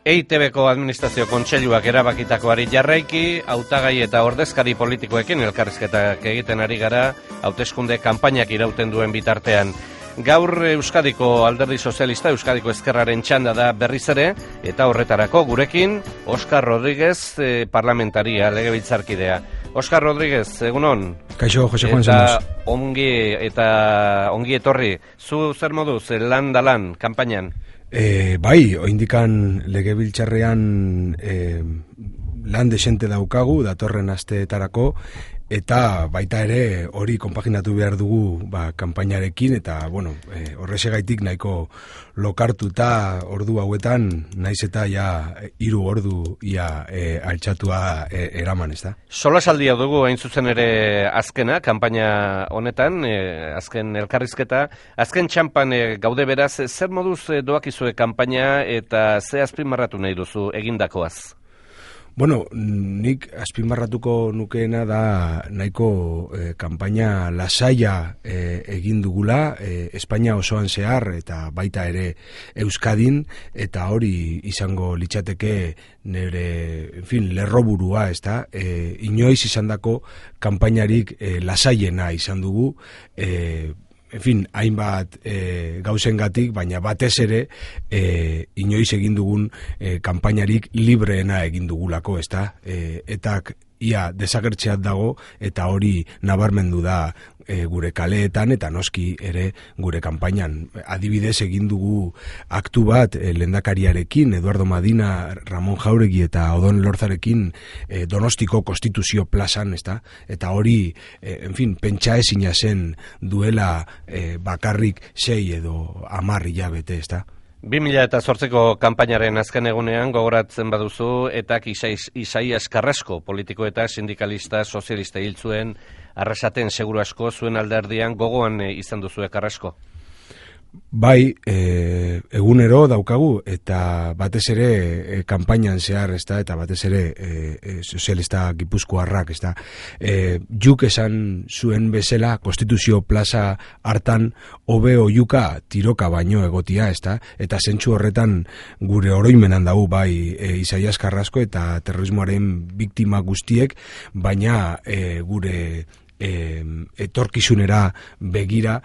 EITB-ko administrazio kontseiluak erabakitakoari jarraiki, hautagai eta ordezkari politikoekin elkarrizketak egiten ari gara, hauteskunde kanpainak irauten duen bitartean. Gaur Euskadiko Alderdi Sozialista, Euskadiko Ezkerraren txanda da berriz ere, eta horretarako gurekin, Oskar Rodríguez, parlamentaria, legebiltzarkidea. Oskar Rodríguez, egunon? Kaixo, Jose Juan Eta ongi etorri. Zu zer moduz, lan da lan, kanpainan? Bai, oindikan legebiltzarrean lan desente daukagu, datorren asteetarako, eta baita ere hori konpaginatu behar dugu kanpainarekin, eta horrexegaitik nahiko lokartuta ordu hauetan, naiz eta ja 3 ordu altxatua eraman, ez da? Solasaldia dugu hain zuzen ere azkena, kanpaina honetan, azken elkarrizketa, azken txampan gaude beraz, zer moduz doakizue kanpaina eta ze azpimarratu nahi duzu egindakoaz? Nik azpimarratuko nukeena da nahiko kanpaina lasaia egin dugula, Espainia osoan zehar eta baita ere Euskadin, eta hori izango litzateke nire, lerroburua, ez da? Inoiz izandako kanpainarik lasaiena izan dugu, hainbat gauzengatik, baina batez ere inoiz egin dugun kanpainarik libreena egin dugulako, ez da? Etak ia desagertzeat dago, eta hori nabarmendu da gure kaleetan eta noski ere gure kanpainan. Adibidez egin dugu aktu bat lehendakariarekin, Eduardo Madina, Ramon Jauregi eta Odon Lorzarekin Donostiko Konstituzio plazan, ez da? Eta hori, pentsa ezina zen duela bakarrik 6 edo 10 hilabete, ez da? 2008ko kanpainaren azken egunean gogoratzen baduzu, eta Isaias Carrasco, politiko eta sindikalista sozialista hil zuen, Arrasaten seguru asko zuen alderdian gogoan izan duzu Carrasco? Bai, egunero daukagu, eta batez ere kanpainan zehar, ez da, eta batez ere sozialista gipuzkoarrak, ez da. Juk esan zuen bezala, Konstituzio plaza hartan hobe oiuka tiroka baino egotia, ez da, eta zentsu horretan gure oroimenan dugu, bai, Isaias Carrasco eta terrorismoaren biktima guztiek, baina gure etorkizunera begira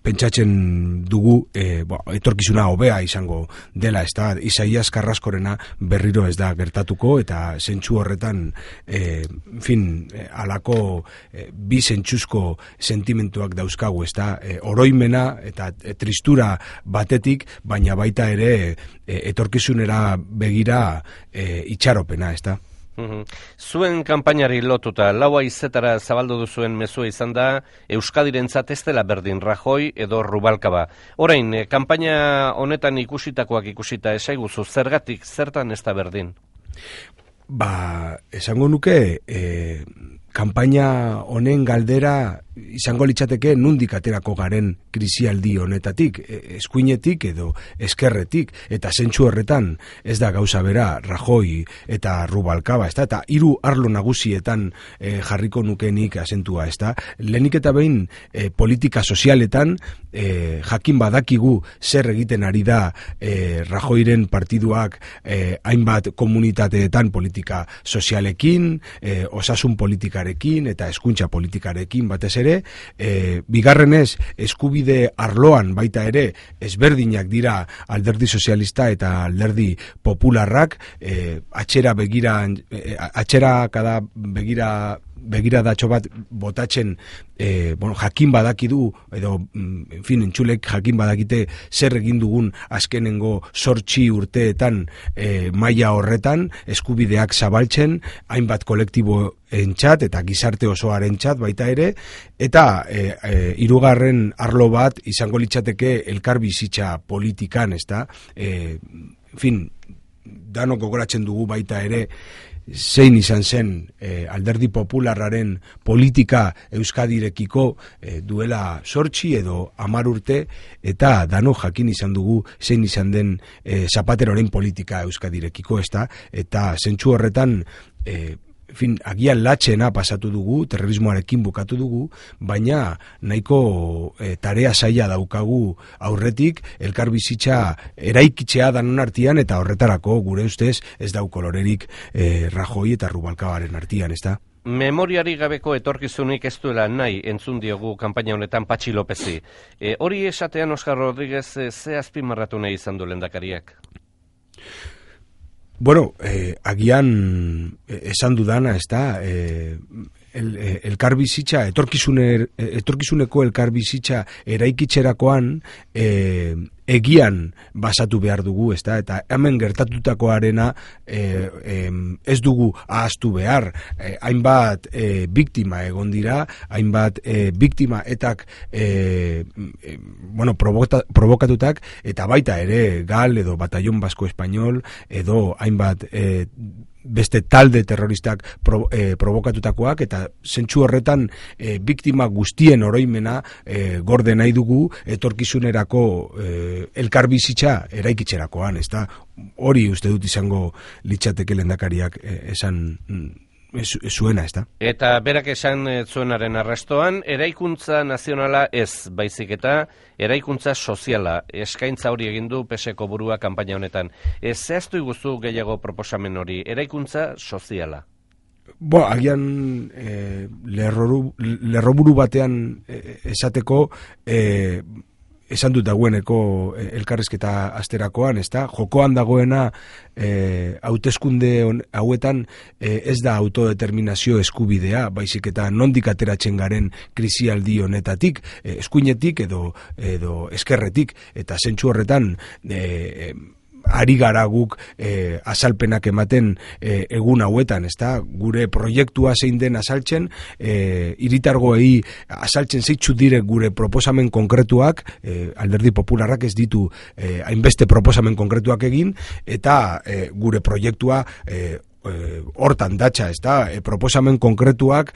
pentsatzen dugu etorkizuna hobea izango dela, ez da? Isaias Carrascorena berriro ez da gertatuko, eta zentsu horretan alako bi zentzuzko sentimentuak dauzkagu, ez da? Oroimena eta tristura batetik, baina baita ere etorkizunera begira itxaropena, ez da? Zuen kanpainari lotuta, 4 haizetara zabaldu duzuen mezua izan da, Euskadirentzat ez dela berdin Rajoy edo Rubalcaba. Orain, kanpaina honetan ikusitakoak ikusita esaiguzu, zergatik, zertan ez da berdin? Esango nuke, kanpaina honen galdera izango litzateke nundik aterako garen krisialdi honetatik, eskuinetik edo eskerretik, eta zentsu horretan ez da gauza bera Rajoy eta Rubalcaba, ez da? Eta 3 arlo nagusietan jarriko nukenik azentua, ez da? Lehenik eta behin politika sozialetan jakin badakigu zer egiten ari da Rajoyren partiduak hainbat komunitateetan politika sozialekin, osasun politikarekin eta hezkuntza politikarekin batez ere, bigarrenez eskubide arloan baita ere ezberdinak dira Alderdi Sozialista eta Alderdi Popularrak, begiradatxo bat botatzen jakin badakidu, edo entzulek jakin badakite zer egin dugun azkenengo 8 urteetan maila horretan, eskubideak zabaltzen, hainbat kolektibo entzat eta gizarte osoaren txat baita ere, eta 3. arlo bat izango litzateke elkarbizitza politikan, ez da? Danok gogoratzen dugu baita ere zein izan zen Alderdi Popularraren politika Euskadirekiko duela 8 edo 10 urte, eta danok jakin izan dugu zein izan den Zapateroren politika Euskadirekiko, ez da? Eta zentsu horretan agian latxena pasatu dugu, terrorismoarekin bukatu dugu, baina nahiko tarea zaila daukagu aurretik, elkarbizitza eraikitzea danon artean, eta horretarako gure ustez ez dau kolorerik Rajoy eta Rubalcabaren artean, ez da? Memoriari gabeko etorkizunik ez duela nahi entzun diogu kanpaina honetan Patxi Lopezi. Hori esatean Oskar Rodríguez ze azpimarratu nahi izan du lehendakariak? Bueno, agian esan dudana, ez da, elkarbizitza, etorkizuneko elkarbizitza eraikitzerakoan egian basatu behar dugu, ez da, eta hemen gertatutakoarena ez dugu ahaztu behar. Hainbat biktima egon dira, hainbat biktima etak provokatutak, eta baita ere Gal edo Batallón Basko Espainol edo hainbat beste talde terroristak provokatutakoak, eta zentsu horretan biktima guztien oroimena gorde nahi dugu etorkizunerako elkarbizitza eraikitzerakoan, ez da? Hori uste dut izango litzateke lehendakariak esan zuena, ez da? Eta berak esan zuenaren arrastoan, eraikuntza nazionala ez, baizik eta eraikuntza soziala, eskaintza hori egin du PSeko burua kanpaina honetan. Zehaztu iguzu gehiago proposamen hori, eraikuntza soziala? Agian lerroburu batean esateko esan dut dagoeneko elkarrizketa asterakoan, ez da? Jokoan dagoena hauteskunde hauetan ez da autodeterminazio eskubidea, baizik eta nondik ateratzen garen krisialdi honetatik, eskuinetik edo eskerretik, eta zentsu horretan ari gara guk azalpenak ematen egun hauetan, ez da? Gure proiektua zein den azaltzen, hiritargoei azaltzen zeitzu dire gure proposamen konkretuak, Alderdi Popularrak ez ditu hainbeste proposamen konkretuak egin, eta gure proiektua hortan datxa, ez da, proposamen konkretuak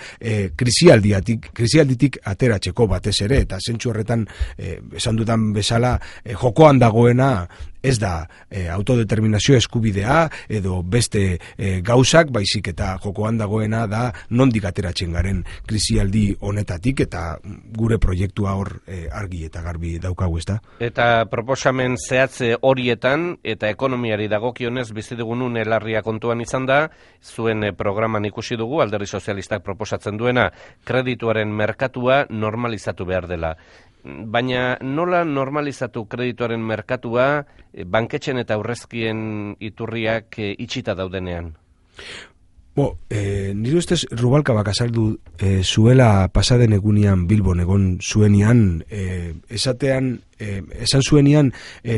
krisialditik ateratzeko batez ere, eta zentsu horretan esan dudan bezala jokoan dagoena ez da autodeterminazio eskubidea edo beste gauzak, baizik eta jokoan dagoena da nondik ateratzen garen krisialdi honetatik, eta gure proiektua hor argi eta garbi daukagu, ez da? Eta proposamen zehatze horietan eta ekonomiari dagokionez bizi dugun larria kontuan izan da, zuen programan ikusi dugu, Alderdi Sozialistak proposatzen duena, kredituaren merkatua normalizatu behar dela. Baina nola normalizatu kredituaren merkatua banketxen eta aurrezkien iturriak itxita daudenean? Nire ustez Rubalcabak azaldu zuela pasaden egunean Bilbon egon zuenian, esan zuenian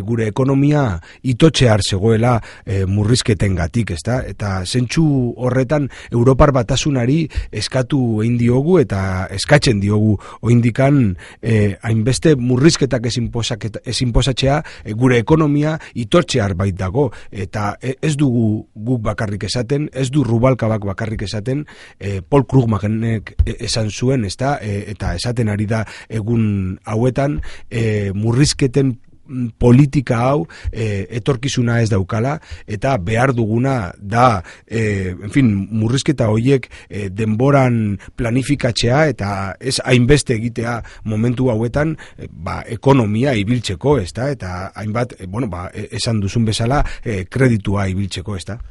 gure ekonomia itotxear zegoela murrizketengatik, ez da? Eta zentsu horretan Europar Batasunari eskatu egin diogu eta eskatzen diogu oindikan hainbeste murrizketak ez inposatzea gure ekonomia itotxear bait dago, eta ez dugu guk bakarrik esaten, ez du Rubalcabak bakarrik esaten, Paul Krugmanek esan zuen, ez da? Eta esaten ari da egun hauetan murrizketen politika hau etorkizuna ez daukala, eta behar duguna da murrizketa horiek denboran planifikatzea, eta ez hainbeste egitea momentu hauetan ekonomia ibiltzeko, ez da? Eta hainbat, esan duzun bezala, kreditua ibiltzeko, ez da?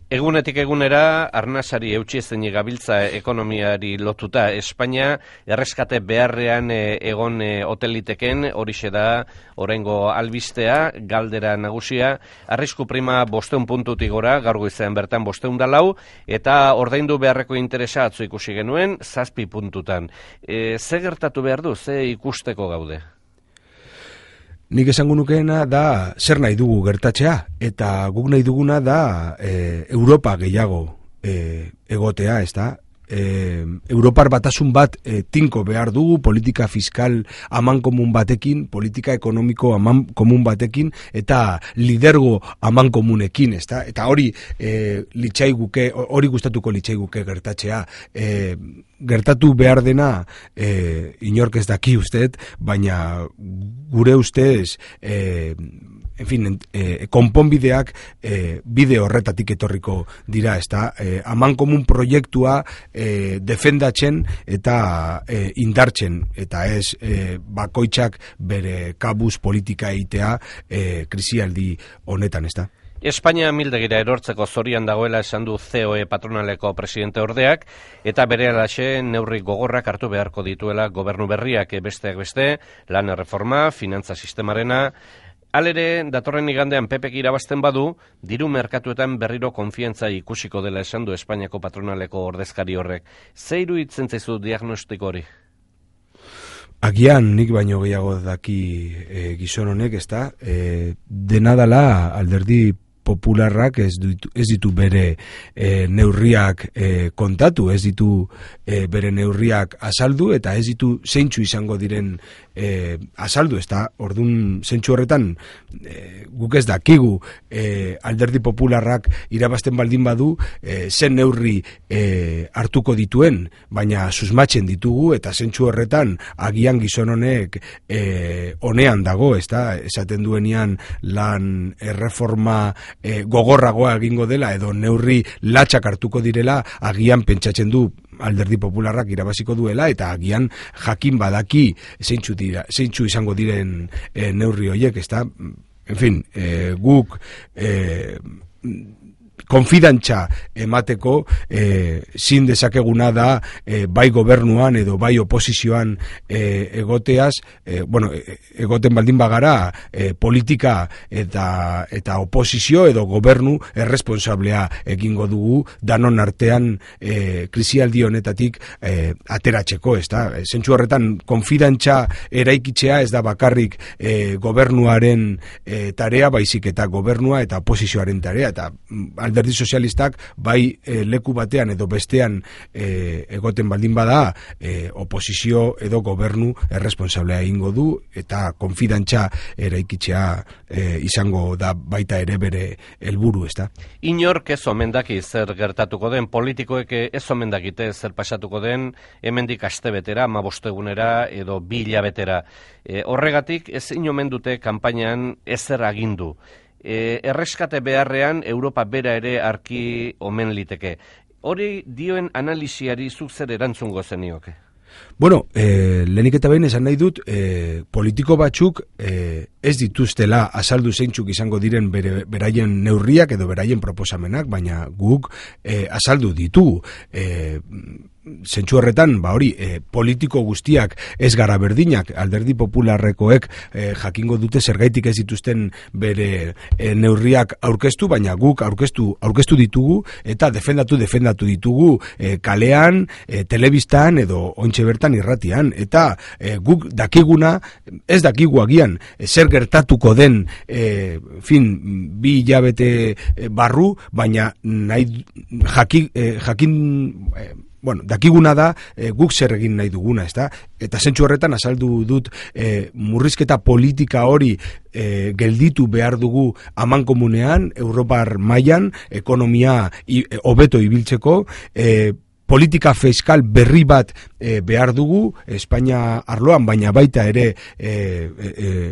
Egunetik egunera, arnasari eutxiezenik gabiltza ekonomiari lotuta. Espainia erreskate beharrean egon hoteliteken, horixe da oraingo albistea, galdera nagusia, arrisku prima 500 puntutik gora, gaur goizean bertan 504, eta ordaindu beharreko interesa atzo ikusi genuen 7 puntutan. Ze gertatu behar du, ze ikusteko gaude? Nik esango nukeena da zer nahi dugu gertatzea, eta guk nahi duguna da Europa gehiago egotea, ez da? Europar Batasun bat tinko behar dugu, politika fiskal amankomun batekin, politika ekonomiko amankomun batekin, eta lidergo amankomunekin, ez da? Eta hori gustatuko litzaiguke gertatzea. Gertatu behar dena inork ez daki usteet, baina gure ustez en fin, konponbideak bide horretatik etorriko dira, ezta? Amankomun proiektua defendatzen eta indartzen, eta ez bakoitzak bere kabuz politika egitea krisialdi honetan, ezta? Espainia mildegira erortzeko zorian dagoela esan du COE patronaleko presidente ordeak, eta berehalaxe neurri gogorrak hartu beharko dituela gobernu berriak, besteak beste, lan erreforma, finantza sistemarena. Halere, datorren igandean PPk irabazten badu, diru merkatuetan berriro konfiantza ikusiko dela esan du Espainiako patronaleko ordezkari horrek. Ze iruditzen zaizu diagnostiko hori? Agian nik baino gehiago daki gizon honek, ezta? Dena dela alderdi popularrak ez ditu bere neurriak kontatu, ez ditu bere neurriak azaldu, eta ez ditu zeintzu izango diren azaldu, ezta? Ordun zentzu horretan guk ez dakigu alderdi popularrak irabazten baldin badu zen neurri hartuko dituen, baina susmatzen ditugu, eta zentzu horretan agian gizon honek honean dago, ezta? Esaten duenean lan erreforma gogorragoa egingo dela edo neurri latxak hartuko direla, agian pentsatzen du alderdi popularrak irabaziko duela, eta agian jakin badaki zeintzu izango diren neurri horiek, ezta? En fin, guk konfidantza emateko zin dezakeguna da bai gobernuan edo bai oposizioan egoteaz, egoten baldin bagara politika eta oposizio edo gobernu erresponsablea egingo dugu danon artean krisialdi honetatik ateratzeko, ezta? Zentzu horretan konfidantza eraikitzea ez da bakarrik gobernuaren tarea, baizik eta gobernua eta oposizioaren tarea, eta alderdi sozialistak bai leku batean edo bestean egoten baldin bada oposizio edo gobernu erresponsablea egingo du, eta konfidantza eraikitzea izango da baita ere bere helburu, ezta? Inork ez omen daki zer gertatuko den, politikoek ez omen dakite zer pasatuko den hemendik astebetera, 15 egunera edo 2 hilabetera. Horregatik ez omen dute kanpainan ezer agindu. Erreskate beharrean Europa bera ere arki omen liteke. Hori dioen analisiari zuk zer erantzungo zenioke? Bueno, lehenik eta behin esan nahi dut, politiko batzuk ez dituztela azaldu zeintzuk izango diren beraien neurriak edo beraien proposamenak, baina guk azaldu ditugu. Zentzu horretan, politiko guztiak ez gara berdinak, alderdi popularrekoek jakingo dute zergaitik ez dituzten bere neurriak aurkeztu, baina guk aurkeztu ditugu eta defendatu ditugu kalean, telebistan edo ontxe bertan irratian, eta guk dakiguna, ez dakigu agian zer gertatuko den 2 hilabete barru, baina dakiguna da guk zer egin nahi duguna, ezta? Eta zentzu horretan azaldu dut murrizketa politika hori gelditu behar dugu amankomunean, Europar mailan, ekonomia hobeto ibiltzeko, politika fiskal berri bat behar dugu Espainia arloan, baina baita ere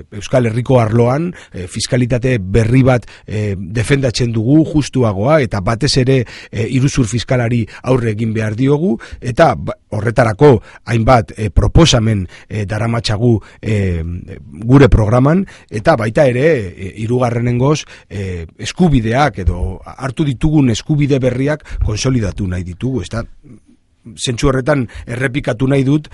Euskal Herriko arloan fiskalitate berri bat defendatzen dugu, justuagoa, eta batez ere iruzur fiskalari aurre egin behar diogu, eta horretarako hainbat proposamen daramatzagu gure programan, eta baita ere hirugarrenengoz eskubideak edo hartu ditugun eskubide berriak konsolidatu nahi ditugu, ezta? Zentzu horretan errepikatu nahi dut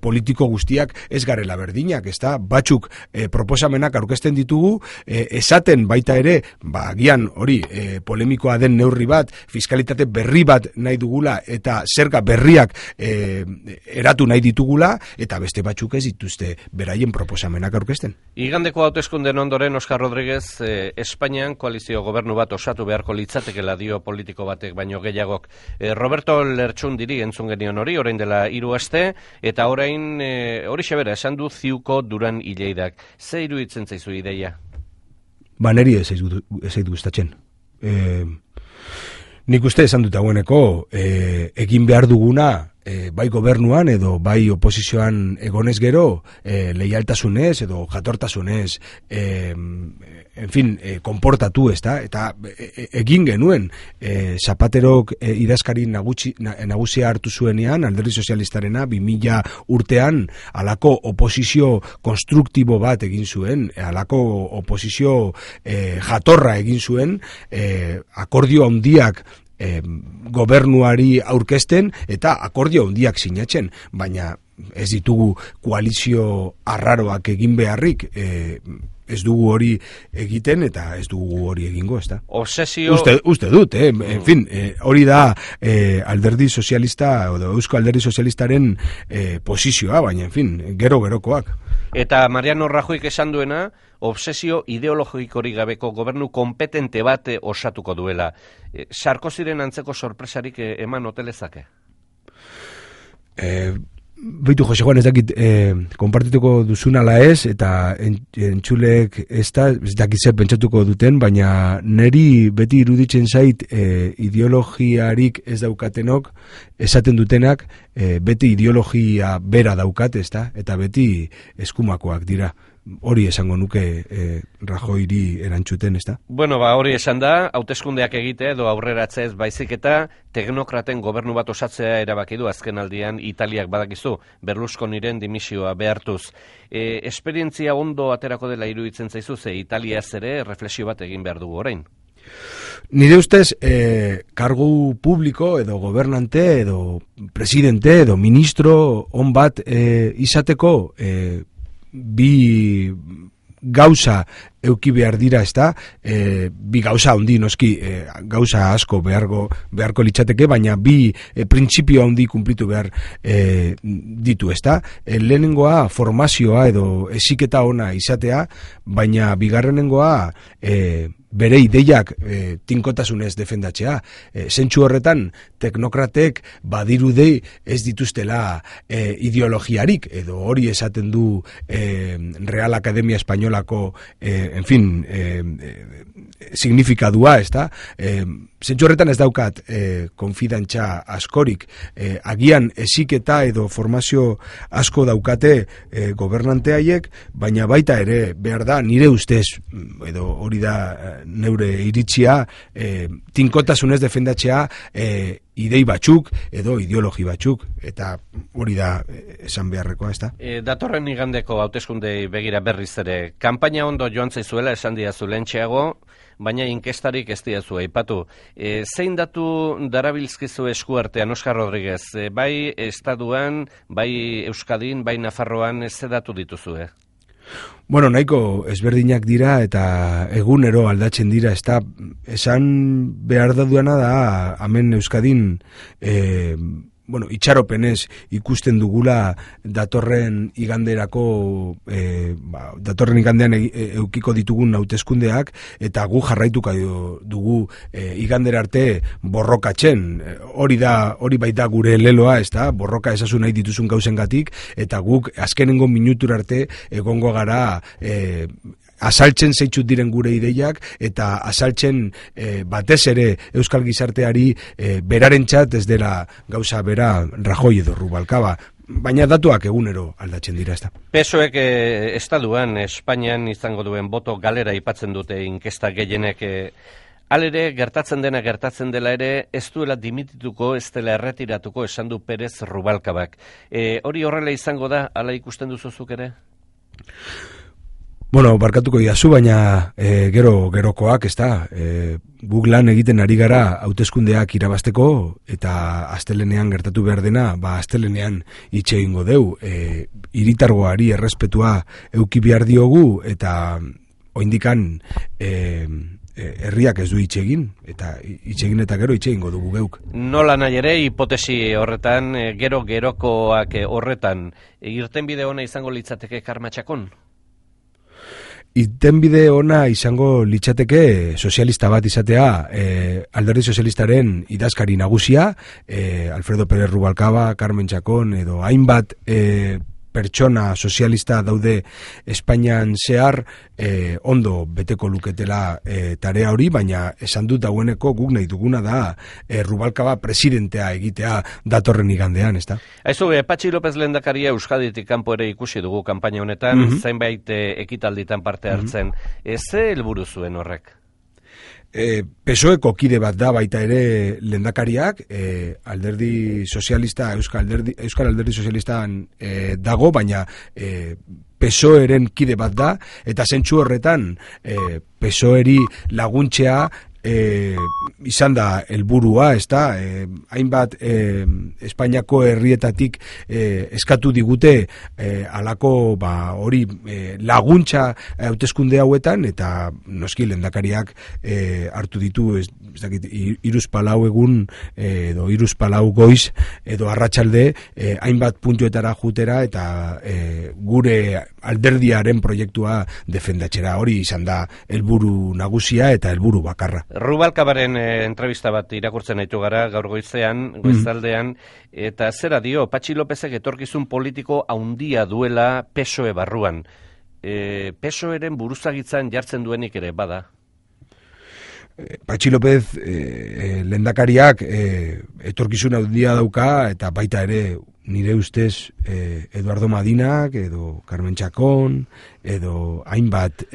politiko guztiak ez garela berdinak, ezta? Batzuk proposamenak aurkezten ditugu, esaten baita ere, agian hori polemikoa den neurri bat, fiskalitate berri bat nahi dugula eta zerga berriak eratu nahi ditugula, eta beste batzuk ez dituzte beraien proposamenak aurkezten. Igandeko hauteskunden ondoren Oskar Rodriguez Espainian koalizio gobernu bat osatu beharko litzatekela dio politiko batek baino gehiagok. Roberto Lertxundiri entzun genion hori, orain dela 3 aste, eta orain hori xebera esan du ziuko Duran Ileidak. Ze iruditzen zaizu ideia? Neri ez zaitu gustatzen. Nik uste esan dut dagoeneko egin behar duguna bai gobernuan edo bai oposizioan egonez gero, leialtasunez edo jatortasunez, en fin, konportatu, ezta? Eta egin genuen, Zapaterok idazkari nagusia hartu zuenean, Alderdi Sozialistarena 2000 urtean halako oposizio konstruktibo bat egin zuen, halako oposizio jatorra egin zuen, akordio handiak gobernuari aurkezten eta akordio handiak sinatzen, baina ez ditugu koalizio arraroak egin beharrik, ez dugu hori egiten eta ez dugu hori egingo, ezta? Obsesio... Uste dut, en fin, hori da Alderdi Sozialista, edo Eusko Alderdi Sozialistaren posizioa, baina, en fin, gero-gerokoak. Eta Mariano Rajoyk esan duena, obsesio ideologikorik gabeko gobernu kompetente bat osatuko duela. Sarkoziren antzeko sorpresarik eman hotelezake? Beitu, Jose Juan, ez dakit konpartituko duzun ala ez, eta entzulek ez dakit zer pentsatuko duten, baina neri beti iruditzen zait ideologiarik ez daukatenok, esaten dutenak, beti ideologia bera daukat, ezta? Eta beti eskumakoak dira. Hori esango nuke Rajoyri erantzuten, ezta? Bueno, hori esan da, hauteskundeak egite edo aurreratzez baizik eta teknokraten gobernu bat osatzea erabaki du azken aldian Italiak badakizu, Berlusconiren dimisioa behartuz. Esperientzia ondo aterako dela iruditzen zaizu, ze Italiaz ere reflexio bat egin behar dugu orain. Nire ustez, kargu publiko edo gobernante edo presidente edo ministro on bat izateko bi gauza euki behar dira, ezta? Bi gauza handi noski, gauza asko beharko litzateke, baina bi printzipio handi kumplitu behar ditu, ezta? Lehenengoa formazioa edo heziketa ona izatea, baina bigarrenengoa bere ideiak tinkotasunez defendatzea. Zentsu horretan, teknokratek badirudi ez dituztela ideologiarik, edo hori esaten du Real Academia Espainolako en fin, signifikadua, ezta? Zentsu horretan ez daukat konfidantza askorik. Agian heziketa edo formazio asko daukate gobernanteaiek, baina baita ere behar da nire ustez, edo hori da neure iritzia, tinkotasunez defendatzea idei batzuk edo ideologi batzuk, eta hori da esan beharrekoa, ezta? Datorren igandeko hauteskundei begira berriz ere, kanpaina ondo joan zaizuela esan diazu lehentxeago, baina inkestarik ez diazu aipatu. Zein datu darabilzkizu eskuartean, Oskar Rodriguez? Bai Estatuan, bai Euskadin, bai Nafarroan, ze datu dituzue? Bueno, nahiko ezberdinak dira eta egunero aldatzen dira, ezta? Esan behar da duena da, hemen Euskadin, itxaropenez ikusten dugula datorren igandean eukiko ditugun hauteskundeak, eta gu jarraituko dugu igandera arte borrokatzen. Hori baita gure leloa, ezta? Borroka ezazu nahi dituzun gauzengatik, eta guk azkenengo minutura arte egongo gara azaltzen zeitzut diren gure ideiak, eta azaltzen batez ere euskal gizarteari berarentzat ez dela gauza bera Rajoy edo Rubalcaba, baina datuak egunero aldatzen dira, ezta. PSOEk Estatuan, Espainian izango duen boto galera aipatzen dute inkesta gehienek. Halere, gertatzen dela ere, ez duela dimitituko, ez dela erretiratuko, esan du Perez Rubalcabak. Hori horrela izango da, hala ikusten duzuzuk ere? Bueno, barkatuko diazu, baina gerokoak, ezta, guk lan egiten ari gara hauteskundeak irabazteko, eta astelenean gertatu behar dena, astelenean hitz egingo deu, hiritargoari errespetua euki behar diogu, eta oindikan herriak ez du hitz egin, eta hitz egin eta gero hitz egingo dugu geuk. Nola nahi ere, hipotesi horretan, gerokoak horretan, irtenbide ona izango litzateke Karmatxakon? Irtenbide ona izango litzateke sozialista bat izatea, Alderdi Sozialistaren idazkari nagusia, Alfredo Pérez Rubalcaba, Carmen Chacón, edo hainbat pertsona sozialista daude Espainian zehar, ondo beteko luketela tarea hori, baina esan dut dagoeneko guk nahi duguna da Rubalcaba presidentea egitea datorren igandean, ezta? Aizu, Patxi López lehendakaria Euskaditik kanpo ere ikusi dugu kanpaina honetan, zainbait ekitalditan parte hartzen. Ze helburu zuen horrek? PSOEko kide bat da baita ere lehendakariak, alderdi sozialista, Euskal Alderdi Sozialistan dago, baina PSOEren kide bat da, eta zentsu horretan PSOEri laguntzea izan da helburua, ezta? Hainbat Espainiako herrietatik eskatu digute halako hori laguntza hauteskunde hauetan, eta noski lehendakariak hartu ditu ez dakit 3-4 egun edo 3-4 goiz edo arratsalde hainbat puntuetara jutera eta gure alderdiaren proiektua defendatzera. Hori izan da helburu nagusia eta helburu bakarra. Rubalcabaren entrevista bat irakurtzen ditu gara gaur goizaldean, eta zera dio, Patxi Lópezek etorkizun politiko handia duela PSOE barruan. PSOEren buruzagitzan jartzen duenik ere bada? Patxi López lehendakariak etorkizun handia dauka, eta baita ere nire ustez Eduardo Madinak edo Carmen Chacón edo hainbat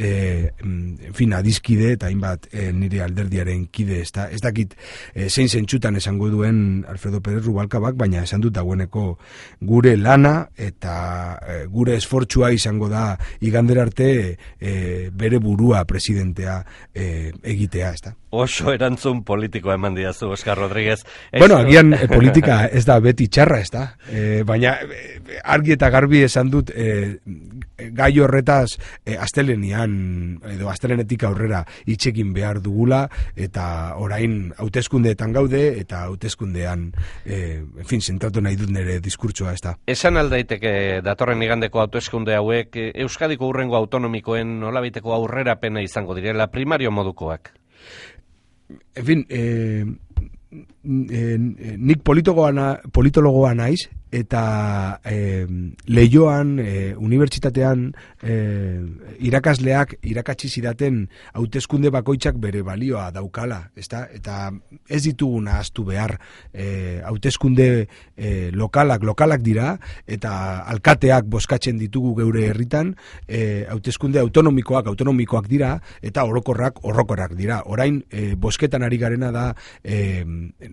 adizkide eta hainbat nire alderdiaren kide, ez dakit zein zentsutan esango duen Alfredo Pérez Rubalcabak, baina esan dut dagoeneko gure lana eta gure esfortzua izango da igandera arte bere burua presidentea egitea, ez da. Oso erantzun politikoa eman diazu, Oscar Rodríguez. Bueno, agian politika ez da beti txarra, ez da. Baina argi eta garbi esan dut gai horretaz astelenean edo astelenetik aurrera itxekin behar dugula, eta orain hauteskundeetan gaude eta hauteskundean zentratu nahi dut nire diskurtsoa, ez da. Esan aldaiteke datorren igandeko hauteskunde hauek Euskadiko hurrengo autonomikoen nolabaiteko aurrerapena izango direla primario modukoak? En fin, nik politologoa naiz, eta Leioan, unibertsitatean irakasleak irakatsi zidaten hauteskunde bakoitzak bere balioa daukala, ezta? Eta ez ditugu nahaztu behar, hauteskunde lokalak dira, eta alkateak bozkatzen ditugu geure herritan, hauteskunde autonomikoak dira, eta orokorrak dira. Orain, bozketan ari garena da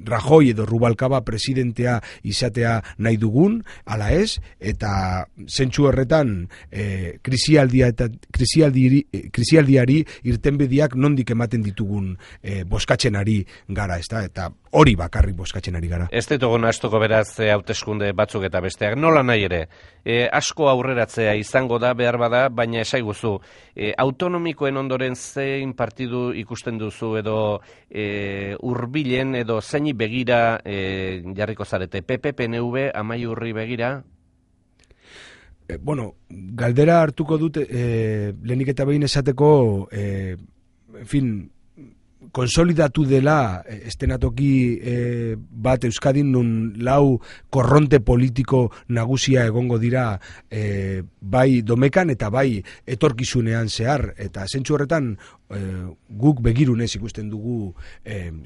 Rajoy edo Rubalcaba presidentea izatea nahi dugun, ala ez, eta zentsu horretan krisialdiari irtenbideak nondik ematen ditugun bozkatzen ari gara, ezta? Eta hori bakarrik bozkatzen ari gara. Ez ditugu nahastuko beraz hauteskunde batzuk eta besteak, nola nahi ere, asko aurreratzea izango da behar bada, baina esaiguzu, autonomikoen ondoren zein partidu ikusten duzu edo hurbilen edo zeini begira jarriko zarete, PP, PNV, Amaiurri begira? Bueno, galdera hartuko dut lehenik eta behin esateko, en fin, konsolidatu dela estenatoki bat Euskadin nun lau korronte politiko nagusia egongo dira bai domekan eta bai etorkizunean zehar, eta zentzu horretan guk begirunez ikusten dugu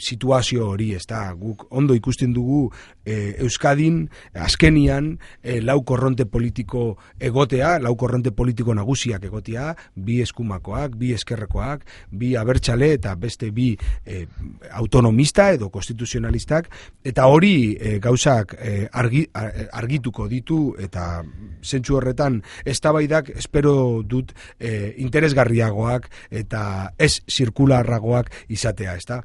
situazio hori, ez da, guk ondo ikusten dugu Euskadin azkenian lau korronte politiko egotea, lau korronte politiko nagusiak egotea, bi eskumakoak, bi eskerrekoak, bi abertzale eta beste bi autonomista edo konstituzionalistak, eta hori gauzak argituko ditu, eta zentzu horretan eztabaidak espero dut interesgarriagoak eta ez zirkularragoak izatea, ezta?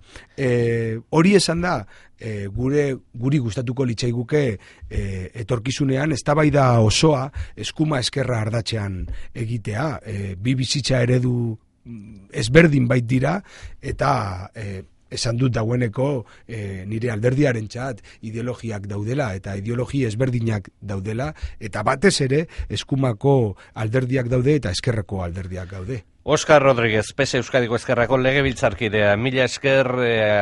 Hori esan da, guri gustatuko litzaiguke etorkizunean eztabaida osoa eskuma eskerra ardatzean egitea, bi bizitza eredu ezberdin bait dira, eta esan dut dagoeneko nire alderdiarentzat ideologiak daudela eta ideologi ezberdinak daudela, eta batez ere eskumako alderdiak daude eta eskerreko alderdiak daude. Oscar Rodríguez, PS Euskadiko Ezkerrako legebiltzarkidea, mila esker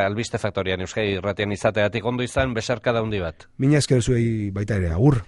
Albiste Faktorian Euskadi Irratian izateatik, ondo izan, besarkada handi bat. Mila esker zuei baita ere, agur.